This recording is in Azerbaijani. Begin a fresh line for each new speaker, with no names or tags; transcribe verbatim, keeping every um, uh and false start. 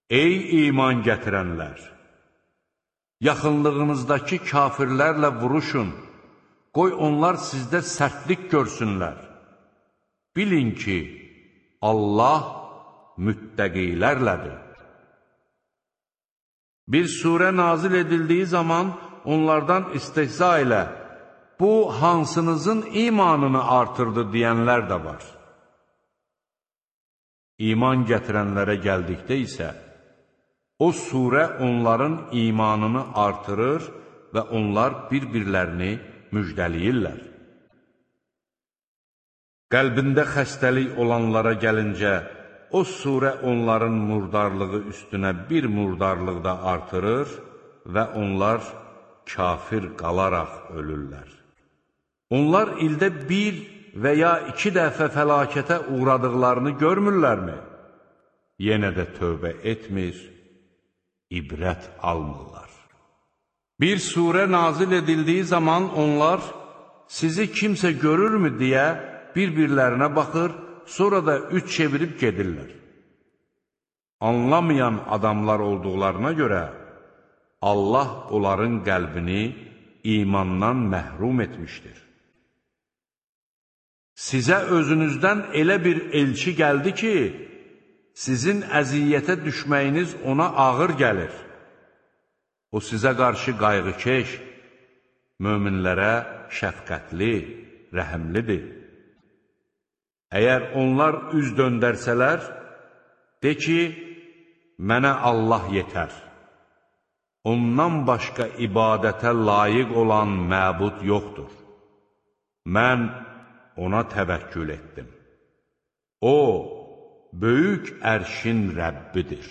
Ey iman gətirənlər! Yaxınlığınızdakı kafirlərlə vuruşun, qoy onlar sizdə sərtlik görsünlər. Bilin ki, Allah müttəqilərlədir. Bir surə nazil edildiyi zaman onlardan istehza ilə bu hansınızın imanını artırdı deyənlər də var. İman gətirənlərə gəldikdə isə, o surə onların imanını artırır və onlar bir-birlərini müjdəliyirlər. Qəlbində xəstəlik olanlara gəlincə, o surə onların murdarlığı üstünə bir murdarlıq da artırır və onlar kafir qalaraq ölürlər. Onlar ildə bir və ya iki dəfə fəlakətə uğradıqlarını görmürlərmi? Yenə də tövbə etmir, ibrət almırlar. Bir surə nazil edildiyi zaman onlar sizi kimsə görürmü deyə bir-birlərinə baxır, sonra da üç çevirib gedirlər. Anlamayan adamlar olduqlarına görə Allah onların qəlbini imandan məhrum etmişdir. Sizə özünüzdən elə bir elçi gəldi ki, sizin əziyyətə düşməyiniz ona ağır gəlir. O sizə qarşı qayğıkeş, möminlərə şəfqətli, rəhəmlidir. Əgər onlar üz döndərsələr, de ki, mənə Allah yetər. Ondan başqa ibadətə layiq olan məbud yoxdur. Mən ona təvəkkül etdim. O, böyük ərşin Rəbbidir.